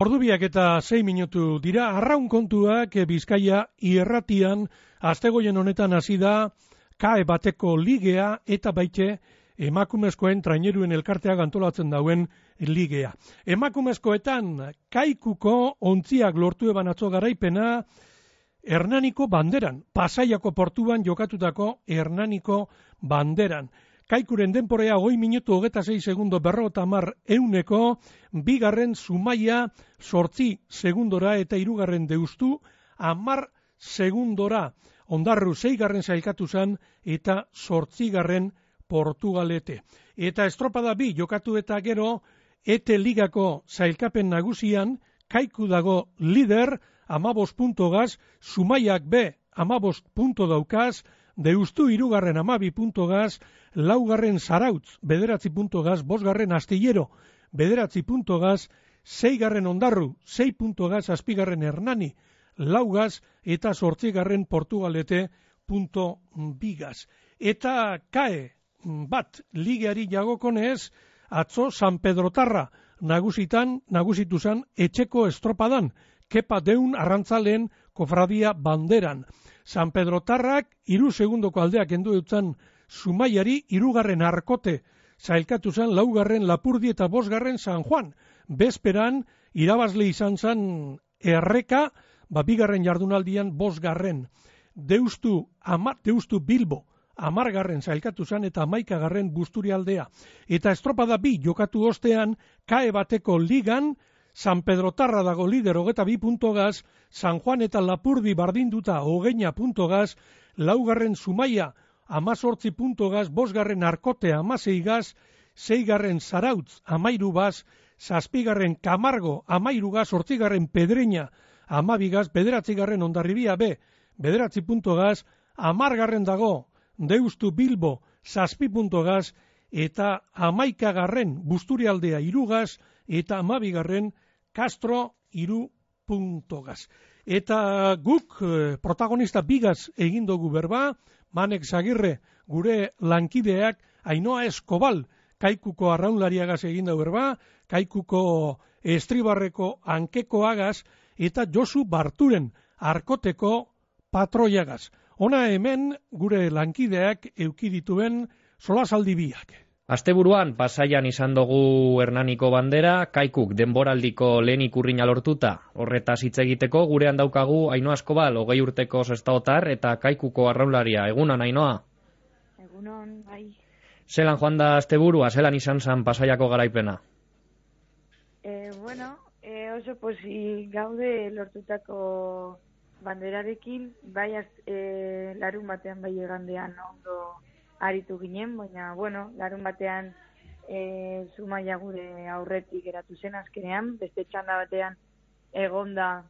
Ordubiak eta 6 minutu dira, arraun kontuak Bizkaia irratian, astegoien honetan hasi da, kae bateko ligea eta baite emakumezkoen traineruen elkarteak antolatzen dauen ligea. Emakumezkoetan kaikuko ontziak lortu eban atzo garaipena Hernaniko banderan, Pasaiako portuan jokatutako Hernaniko banderan. Kaikuren denporea 20 minutu 26 segundo 50 bigarren Zumaia 8 segundora eta hirugarren Deustu 10 segundora. Ondarru 6 sailkatu zen eta 8 Portugalete. Eta estropada bi jokatu eta gero ete ligako sailkapen nagusian Kaiku dago lider 15 puntogaz, Zumaiak be 15 punto daukaz, Deustu 3 12 puntogaz, 4 Zarautz 9 puntogaz, 5 Astillero 9 puntogaz, 6 Ondarru 6 puntogaz, 7 Hernani 4 eta 8 Portugalete punto bigaz. Eta kae bat ligeari jagokonez, atzo San Pedrotarra nagusitu zan etxeko estropadan, Kepa Deun arrantzaleen kofradia banderan. San Pedrotarrak 3 segundoko aldeak endu dutzen Zumaiari 3 Arkote, zailkatu zen 4 Lapurdi eta 5 San Juan. Bezperan irabazle izan zen Erreka, bigarren jardunaldian 5. Deustu Bilbo 10 zailkatu zen eta 11 Busturialdea. Eta estropada bi jokatu ostean, kae bateko ligan, San Pedrotarra dago lider 22 puntogaz, San Juan eta Lapurdi bardinduta 20 puntogaz, 4 Zumaia 18 puntogaz, 5 Arkote 16 gaz, 6 Zarautz 13 gaz, 7 Camargo 13 gaz, 8 Pedreña 12 gaz, 9 Hondarribia B 9 puntogaz, 10 dago Deustu Bilbo 7 puntogaz, eta 11 Busturialdea 3 gaz, eta 12 Castro 3 puntogaz. Eta guk protagonista bigaz egin dugu berba, Manek Zagirre gure lankideak, Ainoa Eskobal Kaikuko arraunlariagaz egin dugu berba, Kaikuko estribarreko ankekoagaz, eta Josu Barturen Arkoteko patroiagaz. Ona hemen gure lankideak eukidituen solasaldi biak. Asteburuan Pasaian izan dugu Hernaniko bandera, Kaikuk denboraldiko lehen ikurrina lortuta. Horretaz hitz egiteko gurean daukagu Ainoa Eskobal, 20 urteko sestaotar eta Kaikuko arraunlaria. Egunon, Ainoa? Egunon, bai. Zelan joan da asteburua, zelan izan zen Pasaiako garaipena? Oso posi gaude lortutako banderarekin, bai larun batean bai egandean ondo aritu ginen, baina, larun batean Zumaia gure aurretik geratu zen azkenean, beste txanda batean egonda,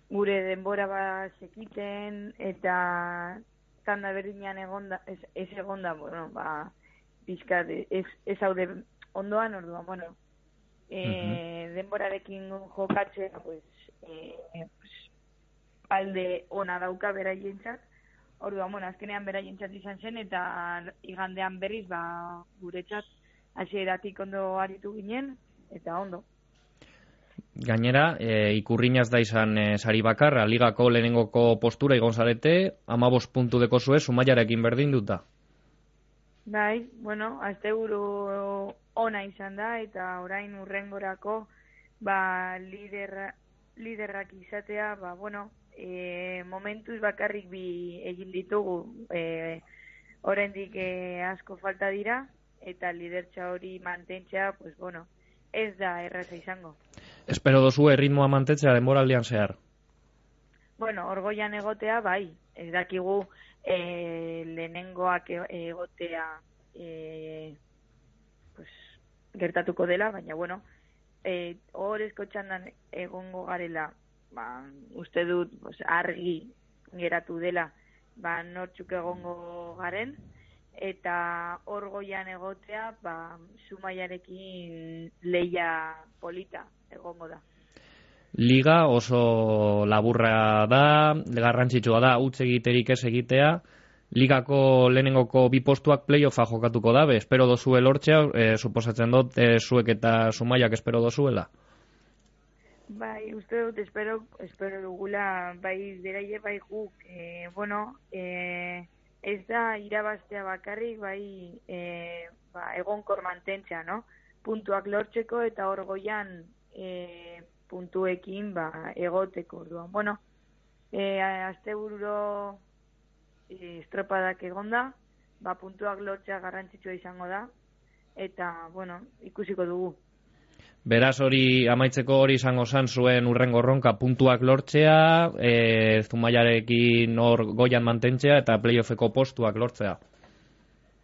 gure denbora sekiten, eta txanda berdinean egonda, ez egonda, pizkat, ez haude ondoan, orduan, denborarekin jokatzea, alde ona dauka beraientzat. Orduan, azkenean beraientzat izan zen, eta igandean berriz, guretzat hasieratik ondo aritu ginen, eta ondo. Gainera, ikurrinaz da izan sari bakarra, ligako lehenengoko postura igon zarete, 15 puntu deko zue, Zumaiarekin berdinduta. Bai, asteburu ona izan da, eta orain urrengorako, liderrak izatea, momentuz bakarrik bi egin ditugu, oraindik asko falta dira, eta lidertza hori mantentzea, ez da erraza izango. Espero dozu erritmoa mantentzea denboraldian zehar? Orgoian egotea, bai, ez dakigu lehenengoak egotea gertatuko dela, baina, horrezko txandan egongo garela, uste dut argi geratu dela nortzuk egongo garen, eta Orgoian egotea Zumaiarekin leia polita egongo da. Liga oso laburra da, garrantzitsua da, utz egiterik ez egitea, Ligako lehenengoko bi postuak playoffa jokatuko dabe, espero dozue lortzea, suposatzen dut zuek eta Zumaiak espero dozuela? Bai, uste dut, espero dugula, bai deraile, bai guk, ez da irabaztea bakarrik, bai egonkor mantentzea, no? Puntuak lortzeko eta hor goian puntuekin egoteko. Bueno, astebururo estropadak egonda, puntuak lortzea garrantzitsua izango da, eta, bueno, ikusiko dugu. Beraz hori amaitzeko hori izango zan zuen urrengo erronka puntuak lortzea, Zumaiarekin hor goian mantentzea eta playoffeko postuak lortzea.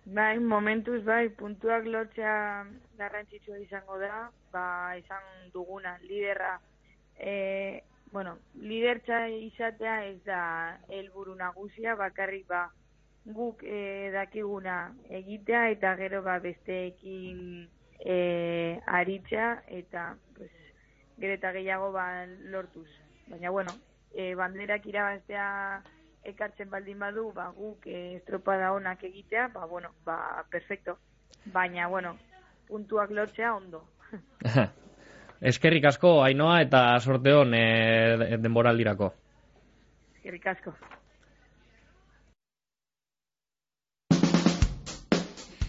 Bai, momentuz bai, puntuak lortzea garrantzitsua izango da, izan duguna liderra, lidertza izatea ez da helburu nagusia, bakarrik guk dakiguna egitea eta gero besteekin aritzea eta gero eta gehiago lortuz. Baina, banderak irabaztea ekartzen baldin badu, guk estropada onak egitea, perfecto. Baina, puntuak lortzea ondo. Eskerrik asko, Ainhoa, eta sorte hon denboraldirako. Eskerrik asko.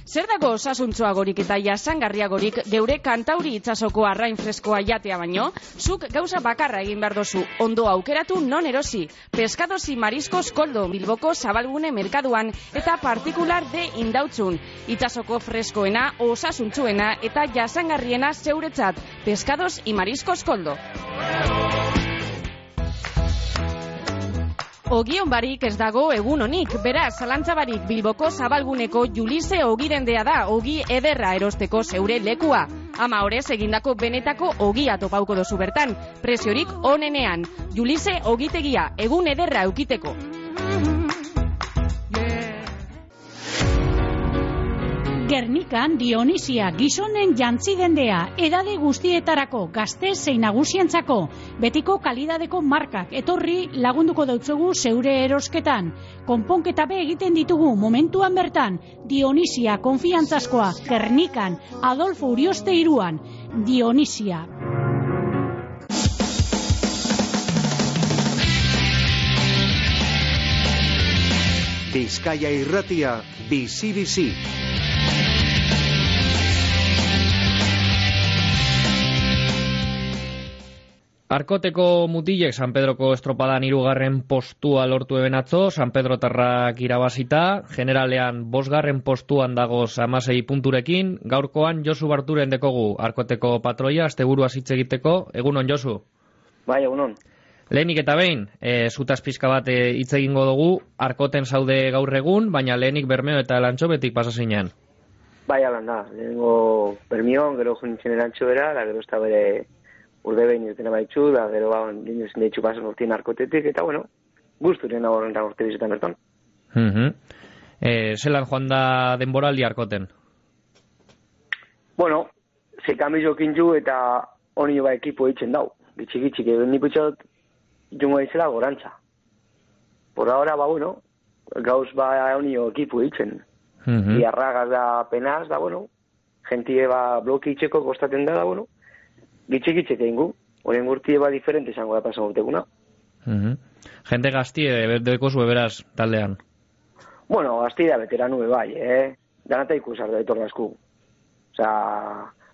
Zer dago osasuntsuagorik eta jasangarriagorik geure Kantauri itsasoko arrain freskoa jatea baino? Zuk gauza bakarra egin behar dozu, ondo aukeratu non erosi. Pescados y Mariscos Koldo, Bilboko Zabalgune merkaduan eta partikular de Indautzun. Itsasoko freskoena, osasuntsuena eta jasangarriena zeuretzat. Pescados y Mariscos Koldo. Ogion barik ez dago egun honik, beraz, zalantzabarik Bilboko Zabalguneko Julise ogirendea da, ogi ederra erosteko zeure lekua. Ama horrez egindako benetako ogia topauko dozu bertan, preziorik onenean. Julise ogitegia, egun ederra eukiteko. Gernikan Dionisia gizonen jantzidendea, edade guztietarako, gazte zein nagusientzako, betiko kalidadeko markak etorri lagunduko dautzugu zeure erosketan. Konponketa be egiten ditugu momentuan bertan, Dionisia konfiantzazkoa, Gernikan, Adolfo Urioste 3an, Dionisia. Bizkaia Irratia, bizi-bizi. Arkoteko mutilek San Pedroko estropadan 3. postua lortu eben atzo, San Pedrotarrak irabazita, generalean 5. postuan dagoz 16 punturekin, gaurkoan Josu Barturen dekogu Arkoteko patroia, asteburua hitz egiteko, egunon Josu? Bai, egunon. Lehenik eta behin, zutaz pizka bat hitz egingo dugu, Arkoten zaude gaur egun, baina lehenik Bermeo eta Elantxobetik pasazinean. Bai, alan da, lehenengo Bermeon, gero junitzen Elantxobera, da gero ez da bere urde behin irtena baitzu, da gero linez deitzu pasan urtien Arkotetik, eta guzturen horren urte bizetan berton. Zelan joan da denboraldi Arkoten? Zekambizokin ju eta honi ekipo eitzen dau. Gitxik, ni putxot jungo izela gorantza. Por ahora, gauz honi ekipo eitzen. Iarragaz da penaz, da, gentie bloki itxeko kostaten da, gitxik egin gu. Horien gurtie diferente izango da pasan urteguna. Gente gaztie, deko zue beraz taldean? Gaztie da veteranu bai, Danata ikusar da etor dasku.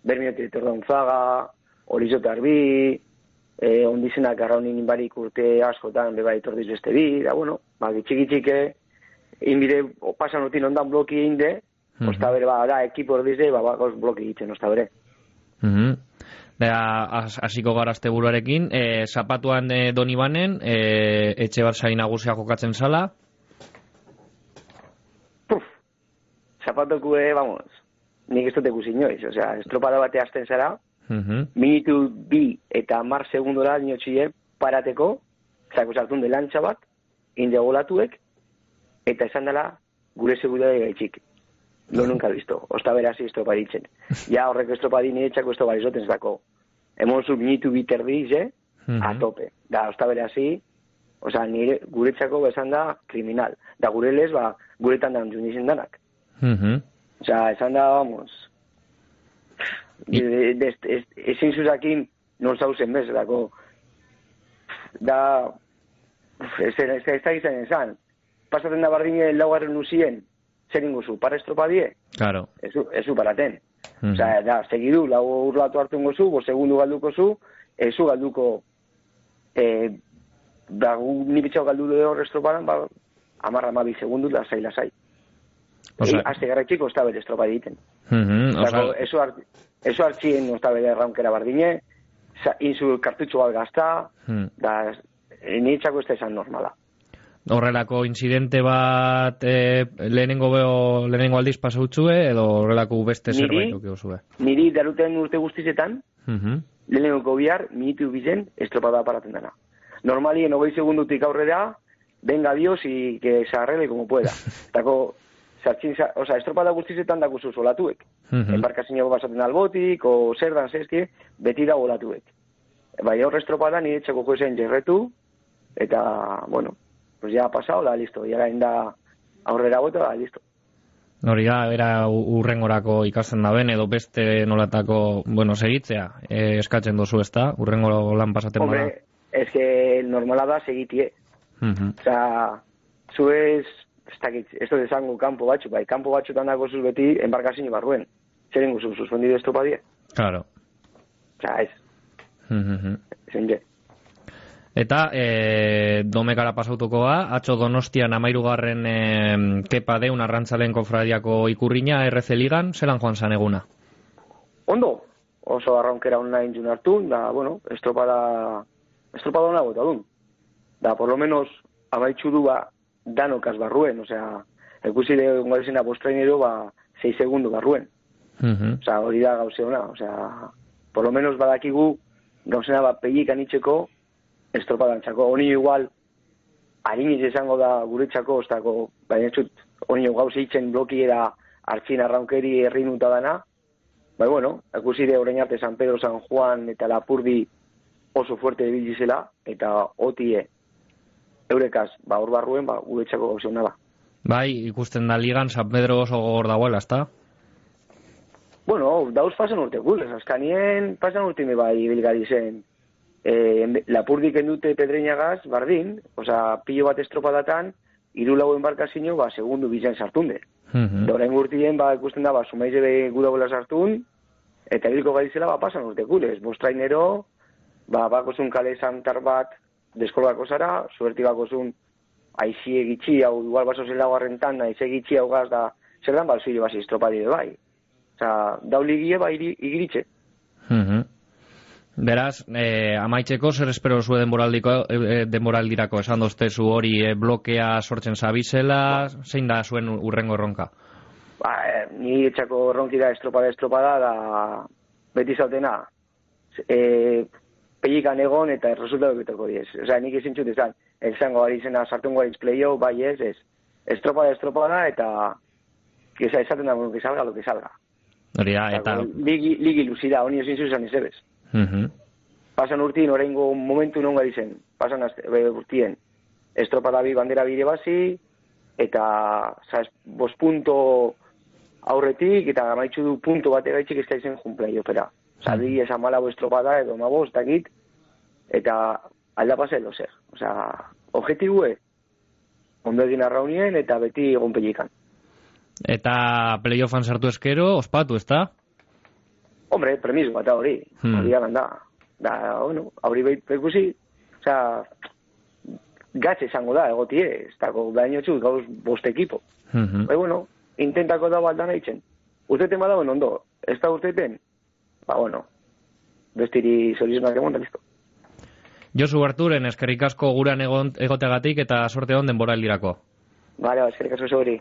Bermiote etor da Unzaga, Horizote Arbi, ondizenak arraunin barik urte askotan beba etor diz beste bi, da, gitxik, inbide pasan urtin ondan bloki egin de, osta bere, da, ekipo ordize, gauz bloki egiten, osta bere. Hasiko gara asteburuarekin, zapatuan Donibanen, etxe bat sain nagusia jokatzen zala? Zapatokue, nik ez dut ekusi inoiz, estropada bate hasten zara, minutu 2 eta 10 segundora dinotxie parateko, sartun de lantza bat, indegolatuek, eta esan dela gure segudade gaitxik. No nunca visto, osta berasi estropaditzen. Ja horrek estropadin etxako estropadizoten zako. Hemonzu minutu 2 terdiz, a tope. Da, osta berasi, nire guretzako besan da kriminal. Da gure lez, guretan da antzun izan danak. Osea, esan da, vamos, ezin zuzakin non zauzen bez, dako, da, ez da izan esan, pasaten da bardine laugarren luzien, zer ingozu, para estropadie? Claro. Ezu paraten. Osea, da, segidu, lau urlatu hartu ingozu, bo segundu galduko zu, ezu galduko, da, ni bitxau galdu de hor estropadan, ba, 10-12 segundu, lasai. Azte garratxiko ez da bere estropa egiten. Eso hartxien ez da bere erraunkera bardine, inzu kartutxo bat gazta, da, niretzako ez da esan normala. Horrelako incidente bat lehenengo aldiz pasautzue, edo horrelako beste zerbait okiozue? Niri daruten urte guztizetan, lehenengo bihar, minutu bizen, estropada paraten dana. Normalien 20 segundutik aurrera, venga Dios y que se arregle como pueda. Tako, estropada guztizetan dakuzu solatuek. Embarkazio basaten albotik, o zer dan zezkie, beti da olatuek. Bai, aurre estropada nire txako joezen jerretu, eta, bueno, pues ya ha pasado, da, listo. Ya da aurrera bota, da, listo. Hori da, era urrengorako ikasten da ben, edo beste nolatako, bueno, segitzea, eskatzen dozu ez da, urrengo lan pasaten bada. Hombre, es que normala da segitie. Osea, zuez, ez da desango kanpo batxu, bai, kanpo batxutan dago zuz beti embarkazio barruen. Zer ingo zuz, suspendido estropadie? Claro. Osea, ez. Zenje. Eta, domekara pasautukoa, atzo Donostian 13. Kepa Deun arrantzalen kofradiako ikurriña RC Ligan, zelan joan zan eguna? Ondo, oso arraunkera online jun hartu, da, bueno, estropada ona bota dun. Da, por lo menos, amaitxu du ba, danokaz barruen, osea, ekusi de ungalizena bostrainero, ba, 6 segundu barruen. Osea, hori da gauze ona, osea, por lo menos badakigu, gauzena ba, pegikan itxeko, estropadantzako. Honi igual, hariniz izango da guretzako, ostako, baina txut, honi gauze itzen blokiera hartzin arraunkeri errinuta dana, bai, bueno, ekusi de orain arte San Pedro, San Juan eta Lapurdi oso fuerte debilizela, eta otie eurekaz, ba, hor barruen, ba, guretzako gauze hona da. Bai, ikusten da ligan San Pedro oso gogor dagoela, ezta? Bueno, dauz pasan urte gulez, azkanien pasan urtime bai bilgari zen. Lapurdik endute Pedreñagaz, bardin, osea, pilo bat estropadatan, 3-4 embarkazio, ba, segundu bizen sartunde. Doren urtien, ba, ikusten da, ba, sumaize gudagoela sartun, eta hilko garizela, ba, pasan urte gulez. Bostrainero, ba, bakozun kale santar bat, deskolgako zara, suerti bakozun aizie gitxi, hau igual baso zela garrentan, aizie gitxi hau gaz da, zer dan balzuio basi estropadide bai. Osa, dauligie ba igiritxe. Beraz, amaitzeko, zer espero zu denboraldirako, esan doztezu hori blokea sortzen zabizela, zein da zuen urrengo erronka? Ba, ni etxako erronki da estropada, da beti zautena, pellikan egon eta resultatu beteko diez. Osea, nik izin txut ezan, elzango gari izena sartungo garitz play-off, bai ez, estropada, eta esaten da, que salga lo que salga. Hori da, eta... Ligi luzida, honi ezin zuzan izebez. Pasan urtien, oraingo momentu non gari zen, pasan urtien, estropada bi bandera bire basi, eta 5 punto aurretik, eta amaitxu du punto bat egaitxik ez da izen jun playoffera. Osa, bi esan malabo estropada edo mabos, dakit, eta alda pasa edo zer. Osa, objetibue, ondo egin arraunien, eta beti egon pellikan. Eta playoffan sartu eskero, ospatu, ez da? Hombre, premiso bat hori, hori da. Da, bueno, hori behikusi, oza, gatze izango da, egotie, ez dago baino txut, gauz 5 ekipo. Bueno, intentako da baldan haitzen. Urteten badauen ondo, ez da urteten, ba, bueno, bestiri zorizmak egon da listo. Josu Arturen, eskerrik asko guran egoteagatik eta sorte hon denboraldirako. Bale, eskerrik asko zori.